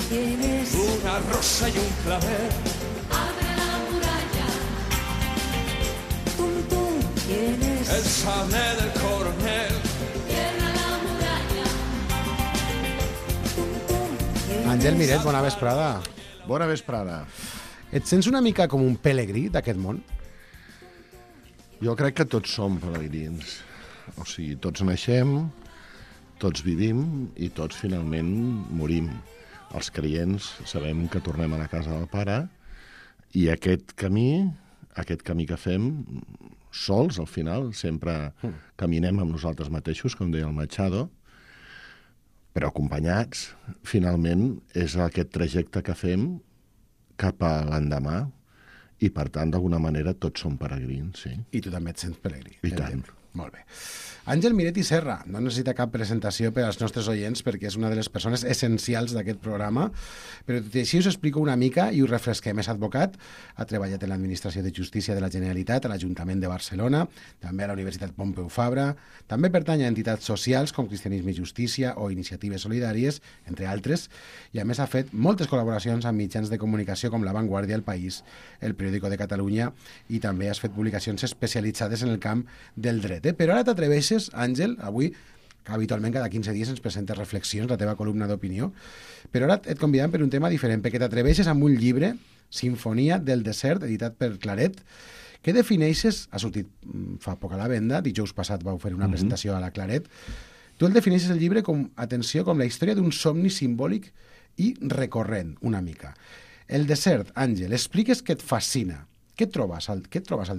tienes una rosa y un clavel. Abre la muralla. Tú tienes El sable del coronel. Cierra la muralla. Tienes Àngel Miret, bona vesprada. Bona vesprada. Et sents una mica com un pelegrí d'aquest món? Jo crec que tots som pelegrins. O sigui, tots naixem, tots vivim i tots finalment morim. Els creients sabem que tornem a la casa del Pare i aquest camí que fem sols, al final, sempre caminem amb nosaltres mateixos, com deia el Machado, però acompanyats, finalment, és aquest trajecte que fem cap a l'endemà i, per tant, d'alguna manera, tots som peregrins, sí. I tu també et sents pelegrí. I tant. Molt bé. Àngel Miret i Serra, no necessita cap presentació per als nostres oients perquè és una de les persones essencials d'aquest programa, però tot i així us explico una mica i us refresquem. És advocat, ha treballat en l'Administració de Justícia de la Generalitat, a l'Ajuntament de Barcelona, també a la Universitat Pompeu Fabra, també pertany a entitats socials com Cristianisme i Justícia o Iniciatives Solidàries, entre altres, i a més ha fet moltes col·laboracions amb mitjans de comunicació com La Vanguardia, El País, El Periódico de Catalunya, i també has fet publicacions especialitzades en el camp del dret. Però ara t'atreveixes, Àngel, avui, que habitualment cada 15 dies ens presentes reflexions, la teva columna d'opinió, però ara et convidem per un tema diferent, perquè t'atreveixes amb un llibre, Sinfonia del desert, editat per Claret, que defineixes, ha sortit fa poc a la venda, dijous passat vau fer una presentació a la Claret, tu el defineixes el llibre com, atenció, com la història d'un somni simbòlic i recorrent, una mica. El desert, Àngel, expliques què et fascina. Què et trobes al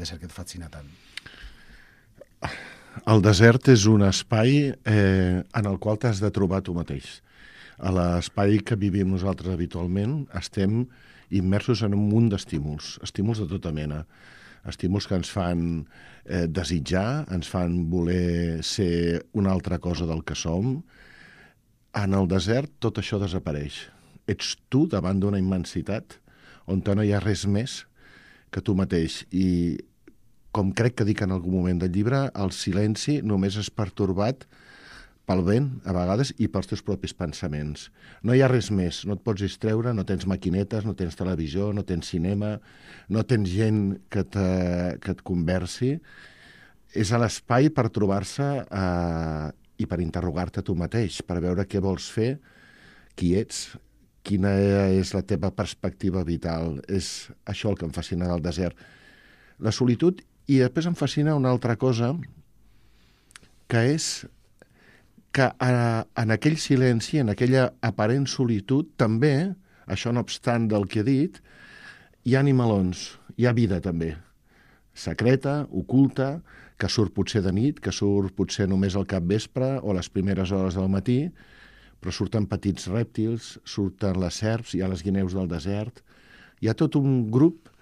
desert que et fascina tant? El desert és un espai en el qual t'has de trobar tu mateix. A l'espai que vivim nosaltres habitualment estem immersos en un munt d'estímuls, estímuls de tota mena, estímuls que ens fan desitjar, ens fan voler ser una altra cosa del que som. En el desert tot això desapareix. Ets tu davant d'una immensitat on no hi ha res més que tu mateix. I com crec que dic en algun moment del llibre, el silenci només és pertorbat pel vent, a vegades, i pels teus propis pensaments. No hi ha res més, no et pots distreure, no tens maquinetes, no tens televisió, no tens cinema, no tens gent que et conversi. És a l'espai per trobar-se i per interrogar-te tu mateix, per veure què vols fer, qui ets, quina és la teva perspectiva vital. És això el que em fascina del desert. La solitud. I després em fascina una altra cosa, que és que en aquell silenci, en aquella aparent solitud, també, això no obstant del que he dit, hi ha animalons, hi ha vida també, secreta, oculta, que surt potser de nit, que surt potser només al capvespre o a les primeres hores del matí, però surten petits rèptils, surten les serps, hi ha les guineus del desert, hi ha tot un grup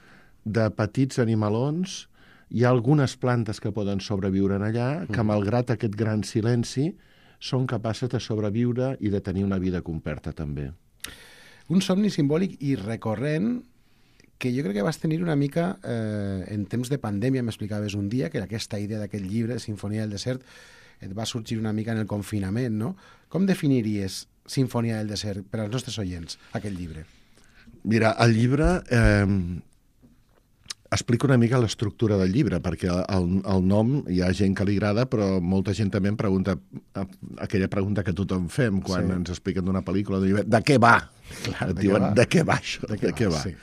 de petits animalons. Hi ha algunes plantes que poden sobreviure en allà, que malgrat aquest gran silenci són capaces de sobreviure i de tenir una vida completa també. Un somni simbòlic i recorrent que jo crec que vas tenir una mica en temps de pandèmia, m'explicaves un dia, que aquesta idea d'aquest llibre, Sinfonia del desert, et va sorgir una mica en el confinament, no? Com definiries Sinfonia del desert per als nostres oients, aquest llibre? Mira, el llibre explico una mica l'estructura del llibre, perquè el nom hi ha gent que li agrada, però molta gent també em pregunta aquella pregunta que tothom fem quan ens expliquen d'una pel·lícula, de què va? Clar, et diuen, de què va això? De què va? Sí.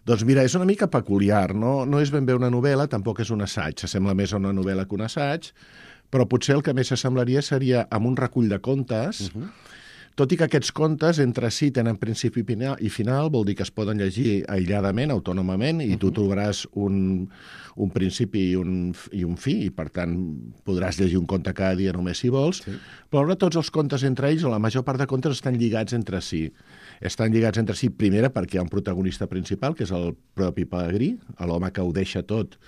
Doncs mira, és una mica peculiar, no és ben bé una novel·la, tampoc és un assaig, s'assembla més a una novel·la que un assaig, però potser el que més s'assemblaria seria amb un recull de contes, tot i que aquests contes entre si tenen principi i final, vol dir que es poden llegir aïlladament, autònomament, i tu trobaràs un principi i un fi, i per tant podràs llegir un conte cada dia només si vols, però ara tots els contes entre ells, o la major part de contes, estan lligats entre si. Estan lligats entre si, primera, perquè hi ha un protagonista principal, que és el propi pelegrí, l'home que ho deixa tot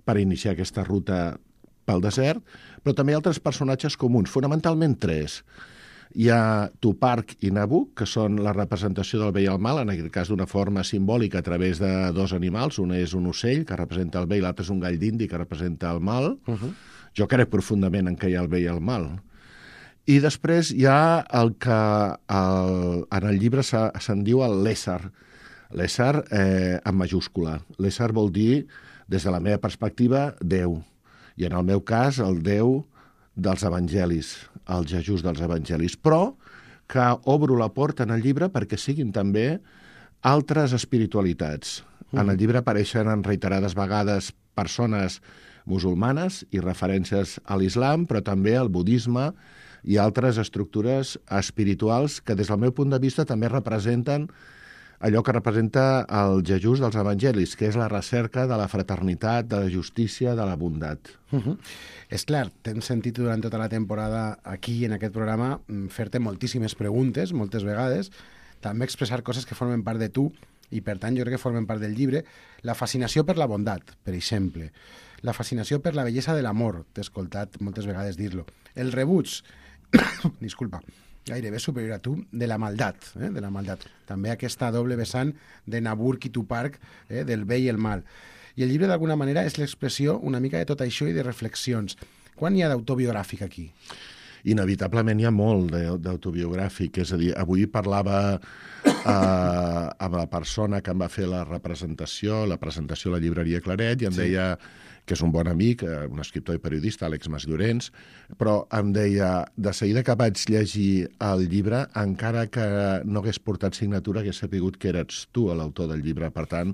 per iniciar aquesta ruta pel desert, però també hi ha altres personatges comuns, fonamentalment 3. Hi ha Tuparc i Nabuc, que són la representació del bé i el mal, en aquest cas d'una forma simbòlica a través de dos animals. Un és un ocell, que representa el bé, i l'altre és un gall d'indi, que representa el mal. Jo crec profundament en què hi ha el bé i el mal. I després hi ha el en el llibre se'n diu el l'ésser. L'ésser en majúscula. L'ésser vol dir, des de la meva perspectiva, Déu. I en el meu cas, el Déu dels evangelis, el Jesús dels evangelis. Però que obro la porta en el llibre perquè siguin també altres espiritualitats. En el llibre apareixen en reiterades vegades persones musulmanes i referències a l'islam, però també al budisme i altres estructures espirituals que, des del meu punt de vista, també representen allò que representa el Jesús dels evangelis, que és la recerca de la fraternitat, de la justícia, de la bondat. És clar, t'hem sentit durant tota la temporada aquí, en aquest programa, fer-te moltíssimes preguntes, moltes vegades, també expressar coses que formen part de tu i, per tant, jo crec que formen part del llibre. La fascinació per la bondat, per exemple. La fascinació per la bellesa de l'amor, t'he escoltat moltes vegades dir-lo. El rebuig, disculpa, gairebé superior a tu, de la maldat, de la maldat. També aquesta doble vessant de Naburg i Tupark, del bé i el mal. I el llibre, d'alguna manera, és l'expressió una mica de tot això i de reflexions. Quan hi ha d'autobiogràfic aquí? Inevitablement hi ha molt d'autobiogràfic, és a dir, avui parlava amb la persona que em va fer la presentació a la llibreria Claret, i em deia que és un bon amic, un escriptor i periodista, Àlex Masllorens, però em deia, de seguida que vaig llegir el llibre, encara que no hagués portat signatura, hagués sapigut que eres tu l'autor del llibre. Per tant,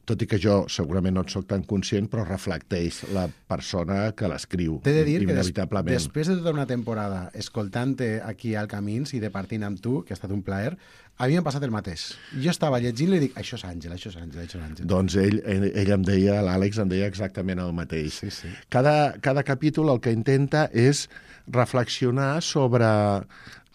tot i que jo segurament no et soc tan conscient, però reflecteix la persona que l'escriu. T'he de dir que inevitablement. després de tota una temporada escoltant-te aquí al Camins i departint amb tu, que ha estat un plaer, a mi m'ha passat el mateix. Jo estava llegint-lo i dic, això és Àngel, això és Àngel, això és Àngel. Doncs ell em deia, l'Àlex em deia exactament el mateix. Sí, sí. Cada capítol el que intenta és reflexionar sobre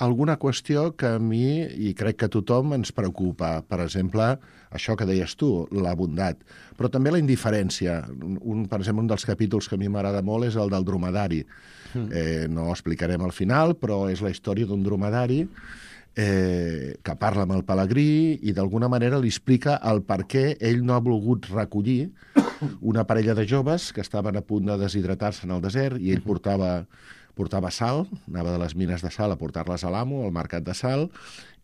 alguna qüestió que a mi, i crec que a tothom, ens preocupa. Per exemple, això que deies tu, la bondat, però també la indiferència. Per exemple, un dels capítols que a mi m'agrada molt és el del dromedari. No ho explicarem al final, però és la història d'un dromedari que parla amb el pelegrí i d'alguna manera li explica el per què ell no ha volgut recollir una parella de joves que estaven a punt de deshidratar-se en el desert i ell portava sal, anava de les mines de sal a portar-les a l'amo, al mercat de sal,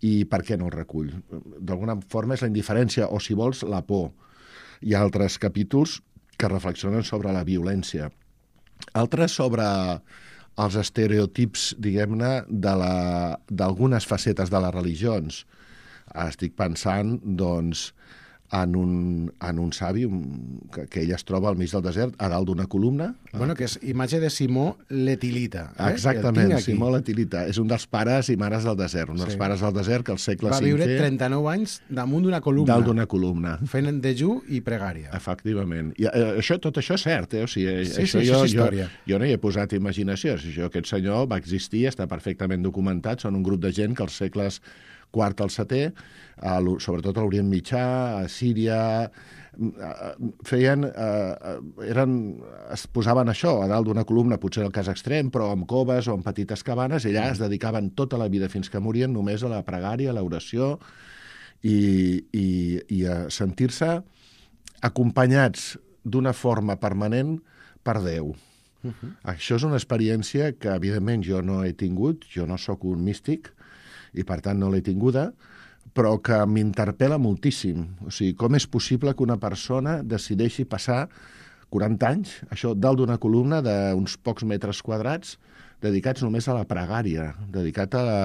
i per què no el recull? D'alguna forma és la indiferència, o si vols, la por. Hi ha altres capítols que reflexionen sobre la violència. Altres sobre els estereotips, diguem-ne, d'algunes facetes de les religions. Estic pensant, doncs, en un savi que ell es troba al mig del desert, a dalt d'una columna. Bueno, que és imatge de Simó l'Etilita. Exactament, Simó l'Etilita. És un dels pares i mares del desert, un dels pares del desert que al segle V... Va viure 39 anys damunt d'una columna. Dalt d'una columna. Fent dejú i pregària. Efectivament. I tot això és cert, O sigui, sí, això és història. Jo no hi he posat imaginació. Aquest senyor va existir, està perfectament documentat, són un grup de gent que als segles IV al VII, sobretot a l'Orient Mitjà, a Síria, es posaven això, a dalt d'una columna, potser el cas extrem, però amb coves o amb petites cabanes, i allà es dedicaven tota la vida fins que morien només a la pregària, a l'oració i a sentir-se acompanyats d'una forma permanent per Déu. Això és una experiència que, evidentment, jo no he tingut, jo no sóc un místic, i per tant no l'he tinguda, però que m'interpel·la moltíssim. O sigui, com és possible que una persona decideixi passar 40 anys, això, dalt d'una columna d'uns pocs metres quadrats, dedicats només a la pregària, dedicat a la...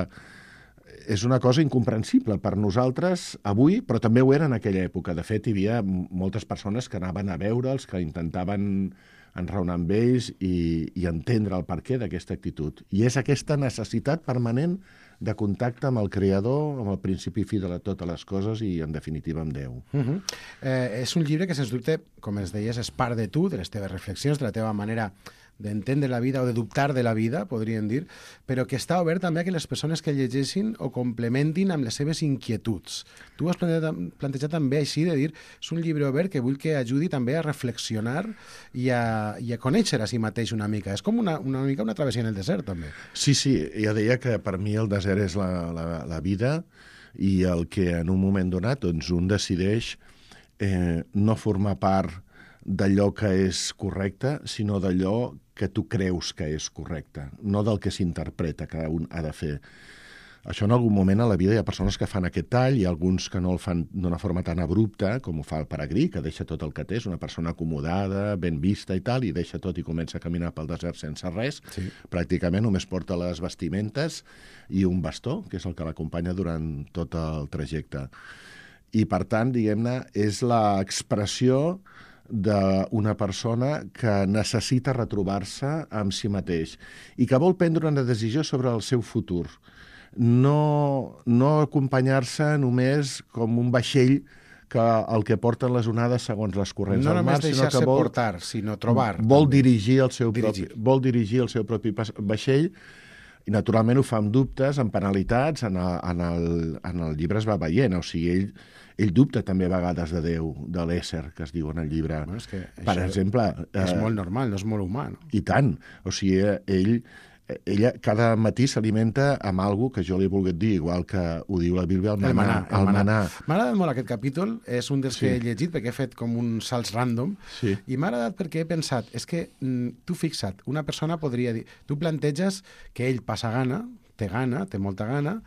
És una cosa incomprensible per nosaltres avui, però també ho era en aquella època. De fet, hi havia moltes persones que anaven a veure'ls, que intentaven enraonar amb ells i entendre el perquè d'aquesta actitud. I és aquesta necessitat permanent de contacte amb el Creador, amb el principi fi de totes les coses i, en definitiva, amb Déu. És un llibre que, sens dubte, com ens deies, és part de tu, de les teves reflexions, de la teva manera d'entendre la vida o de dubtar de la vida, podríem dir, però que està obert també a que les persones que llegeixin o complementin amb les seves inquietuds. Tu has plantejat també així de dir, és un llibre obert que vull que ajudi també a reflexionar i a conèixer a si mateix una mica. És com una mica una travessia en el desert, també. Sí, ja deia que per mi el desert és la vida i el que en un moment donat doncs, un decideix no formar part d'allò que és correcte, sinó d'allò que tu creus que és correcte, no del que s'interpreta que un ha de fer. Això en algun moment a la vida hi ha persones que fan aquest tall i alguns que no el fan d'una forma tan abrupta com ho fa el peregrí, que deixa tot el que té, és una persona acomodada, ben vista i tal, i deixa tot i comença a caminar pel desert sense res. Sí. Pràcticament només porta les vestimentes i un bastó, que és el que l'acompanya durant tot el trajecte. I, per tant, diguem-ne, és l'expressió d'una persona que necessita retrobar-se amb si mateix i que vol prendre una decisió sobre el seu futur. No acompanyar-se només com un vaixell que el que porten les onades segons les corrents No del mar, només sinó que deixar-se portar, sinó trobar. vol també. dirigir el seu propi vaixell i naturalment ho fa amb dubtes, amb penalitats, en el llibre es va veient, o sigui, ell dubta també a vegades de Déu, de l'ésser, que es diu en el llibre. Bueno, és que Per això exemple... És molt normal, no és molt humà, no? I tant. O sigui, ella cada matí s'alimenta amb alguna que jo li he volgut dir, igual que ho diu la Bíblia, el manà. M'ha agradat molt aquest capítol, és un dels que he llegit perquè he fet com uns salts random, i m'ha agradat perquè he pensat, és que tu fixa't, una persona podria dir, tu planteges que ell passa gana, té molta gana,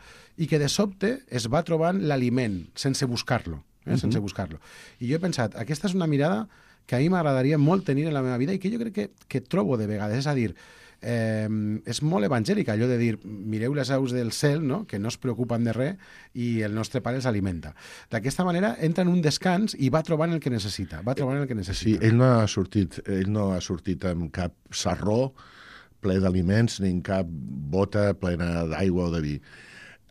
i que de sobte es va trobant l'aliment sense buscar-lo, sense buscar-lo. I jo he pensat, aquesta és una mirada que a mi m'agradaria molt tenir en la meva vida i que jo crec que trobo de vegades, és a dir, és molt evangèlica allò de dir mireu les aus del cel, no? Que no es preocupen de res i el nostre pare els alimenta. D'aquesta manera entra en un descans i va trobant el que necessita, Sí, ell no ha sortit amb cap sarró ple d'aliments ni en cap bota plena d'aigua o de vi.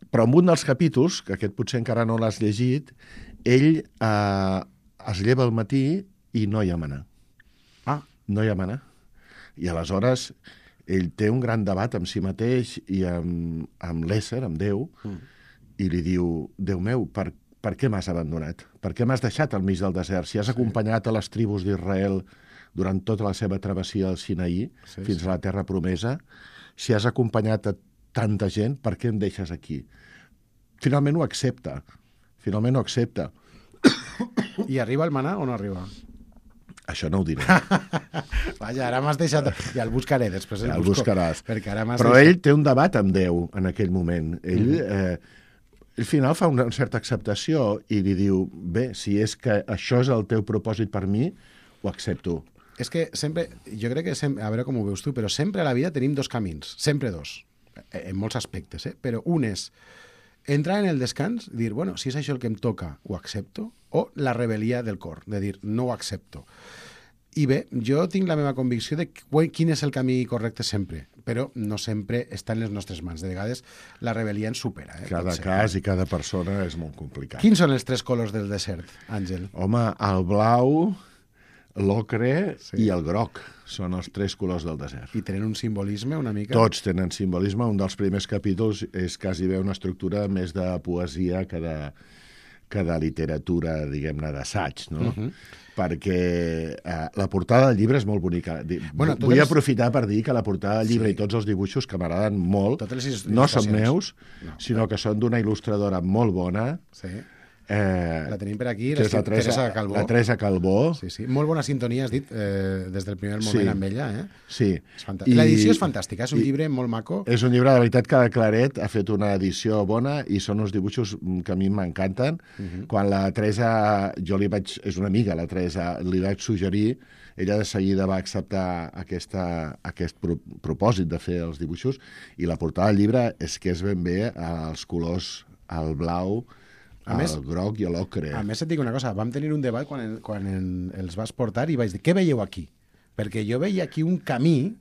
Però en un dels capítols, que aquest potser encara no l'has llegit, ell es lleva al matí i no hi ha mannà. No hi ha mannà. I aleshores ell té un gran debat amb si mateix i amb l'ésser, amb Déu, i li diu, Déu meu, per què m'has abandonat? Per què m'has deixat al mig del desert? Si has acompanyat a les tribus d'Israel durant tota la seva travessia al Sinaí, fins a la terra promesa, si has acompanyat a tanta gent, per què em deixes aquí? Finalment ho accepta. I arriba el manà o no arriba? Això no ho diré. Vaja, ara m'has deixat... Ja el buscaré, després el buscaràs. Perquè ara Però ell té un debat amb Déu en aquell moment. Ell al final fa una certa acceptació i li diu, bé, si és que això és el teu propòsit per mi, ho accepto. És que sempre, jo crec que, a veure com ho veus tu, però sempre a la vida tenim dos camins, sempre dos, en molts aspectes, però un és entrar en el descans, dir, bueno, si és això el que em toca, ho accepto, o la rebel·lia del cor, de dir, no ho accepto. I bé, jo tinc la meva convicció de quin és el camí correcte sempre, però no sempre està en les nostres mans. De vegades la rebel·lia ens supera. Cada cas i cada persona és molt complicat. Quins són els tres colors del desert, Àngel? Home, el blau, l'ocre i el groc són els tres colors del desert. I tenen un simbolisme una mica? Tots tenen simbolisme. Un dels primers capítols és quasi bé una estructura més de poesia que de literatura, diguem-ne, d'assaig, no? Perquè la portada del llibre és molt bonica. Vull aprofitar per dir que la portada del llibre i tots els dibuixos que m'agraden molt no són meus, sinó que són d'una il·lustradora molt bona. Sí. La tenim per aquí, Teresa Calbó. La Teresa Calbó. Sí. Molt bona sintonia, has dit, des del primer moment amb ella. Sí. L'edició és fantàstica, és un llibre molt maco. És un llibre, de veritat, que Claret ha fet una edició bona i són uns dibuixos que a mi m'encanten. Quan la Teresa, és una amiga, la Teresa, li vaig suggerir, ella de seguida va acceptar aquest propòsit de fer els dibuixos i la portada del llibre és que és ben bé els colors, el blau, el groc i l'ocre. A més, et dic una cosa, vam tenir un debat quan els vas portar i vaig dir, què veieu aquí? Perquè jo veia aquí un camí,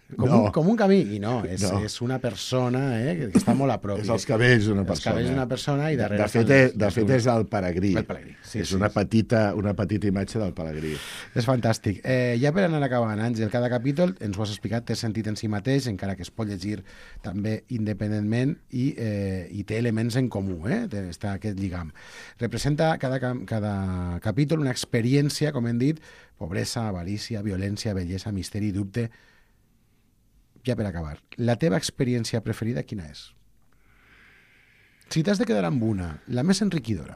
com un camí, i no, és una persona que està molt a prop. És els cabells d'una persona. Els cabells d'una persona i darrere... De fet, és el peregrí. El peregrí, sí. És una petita imatge del peregrí. És fantàstic. Ja per anar acabant, Àngel, cada capítol, ens ho has explicat, té sentit en si mateix, encara que es pot llegir també independentment i té elements en comú, està aquest lligam. Representa cada capítol una experiència, com hem dit, pobresa, avarícia, violència, bellesa, misteri, dubte. Ja per acabar, la teva experiència preferida quina és? Si t'has de quedar amb una, la més enriquidora.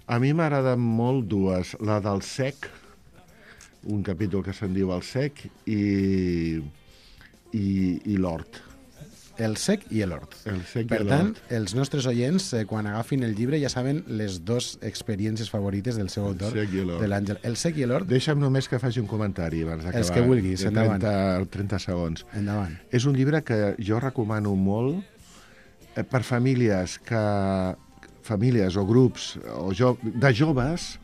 A mi m'agraden molt dues. La del cec, un capítol que se'n diu El cec, i l'hort. El sec i l'hort. El sec Per i tant, l'hort. els nostres oients, quan agafin el llibre, ja saben les dues experiències favorites del seu autor, sec i l'hort. de l'Àngel. El sec i l'hort, Deixa'm només que faci un comentari abans d'acabar. Els que vulguis, de endavant. 30 segons. endavant. És un llibre que jo recomano molt per famílies o grups de joves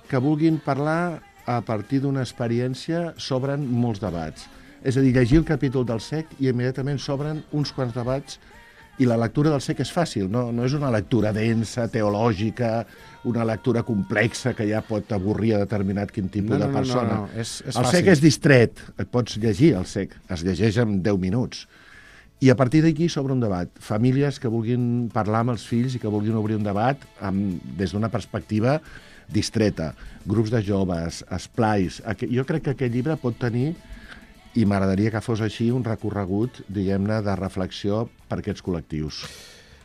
que vulguin parlar a partir d'una experiència, s'obren molts debats. És a dir, llegir el capítol del sec i immediatament s'obren uns quants debats i la lectura del sec és fàcil, no és una lectura densa, teològica, una lectura complexa que ja pot avorrir a determinat quin tipus de persona. No, és el fàcil. sec és distret, et pots llegir el sec, es llegeix en 10 minuts. I a partir d'aquí s'obre un debat. Famílies que vulguin parlar amb els fills i que vulguin obrir un debat des d'una perspectiva distreta, grups de joves, esplais. Jo crec que aquest llibre pot tenir, i m'agradaria que fos així, un recorregut, diguem-ne, de reflexió per aquests col·lectius.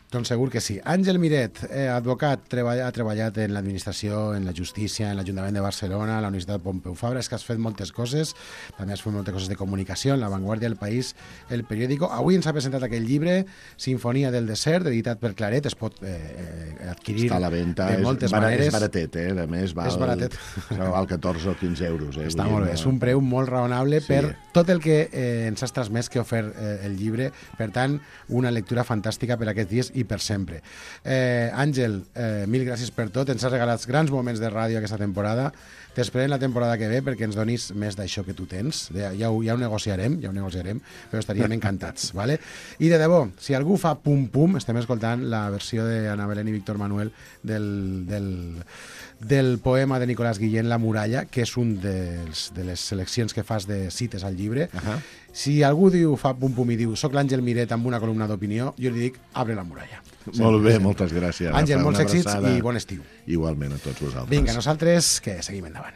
Doncs segur que sí. Àngel Miret, advocat, ha treballat en l'administració, en la justícia, en l'Ajuntament de Barcelona, a la Universitat Pompeu Fabra. És que has fet moltes coses, també has fet moltes coses de comunicació, en La Vanguardia, El País, El Periódico. Avui ens ha presentat aquest llibre, Sinfonia del desert, editat per Claret. Es pot adquirir Està a la venda, de moltes maneres. és baratet, a més val 14 o 15 euros. Està molt bé, és un preu molt raonable per tot el que ens has transmès que ha ofert el llibre. Per tant, una lectura fantàstica per aquests dies i per sempre. Àngel, mil gràcies per tot. Ens has regalat grans moments de ràdio aquesta temporada. T'esperem la temporada que ve perquè ens donis més d'això que tu tens. Ja ho negociarem, però estaríem encantats. ¿Vale? I de debò, si algú fa pum-pum, estem escoltant la versió d'Anna Belén i Víctor Manuel del poema de Nicolás Guillén, La muralla, que és un de les seleccions que fas de cites al llibre. Si algú fa pum-pum i diu soc l'Àngel Miret amb una columna d'opinió, jo li dic abre la muralla. Molt bé, moltes gràcies. Àngel, Rafa, molts una èxits abraçada. i bon estiu. Igualment a tots vosaltres. Vinga, nosaltres que seguim endavant.